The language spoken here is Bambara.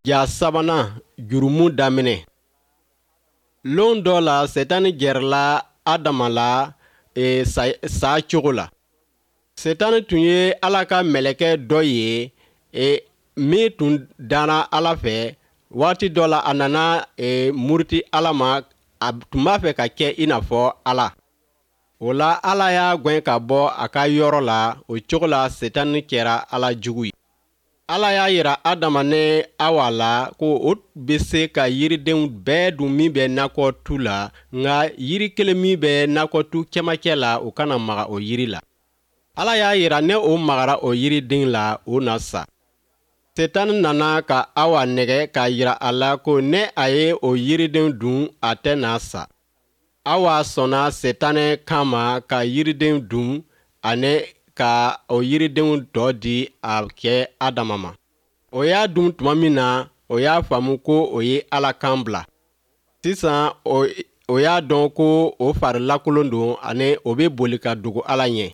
Ja sabanan, jurumu daminɛ. Lon dɔ la, Setani gɛrɛla Adama la e, sa cogo la. Setani tun ye Ala ka mɛlɛkɛ dɔ ye e, min tun danna Ala fɛ. Waati dɔ la, a nana e, muruti Ala ma, a tun b'a fɛ ka kɛ i n'a fɔ Ala. O la, Ala y'a gwɛn ka bɔ a ka yɔrɔ la. O cogo la, Setani kɛra Ala jugu ye. Ala y'a yira Adama ni Awa la ko o bɛ se ka yiridenw bɛɛ dun min bɛ nakɔtu la, nka yiri kelen min bɛ nakɔtu cɛmancɛ la, o kana maga o yiri la. Ala y'a yira ne o magara o yiriden la, o na sa. Setani nana ka Awa nɛgɛ k'a yira a la ko ne a ye o yiriden dun, a tɛna sa. Awa sɔnna Setanɛ kan ma ka yiriden dun ani ka o yiridenw tɔ di a cɛ Adama ma. O y'a dun tuma min na, o y'a faamu ko o ye Ala kan bila. Sisan o y'a dɔn ko o fari lakolon don ani o bɛ boli ka dogo Ala ɲɛ.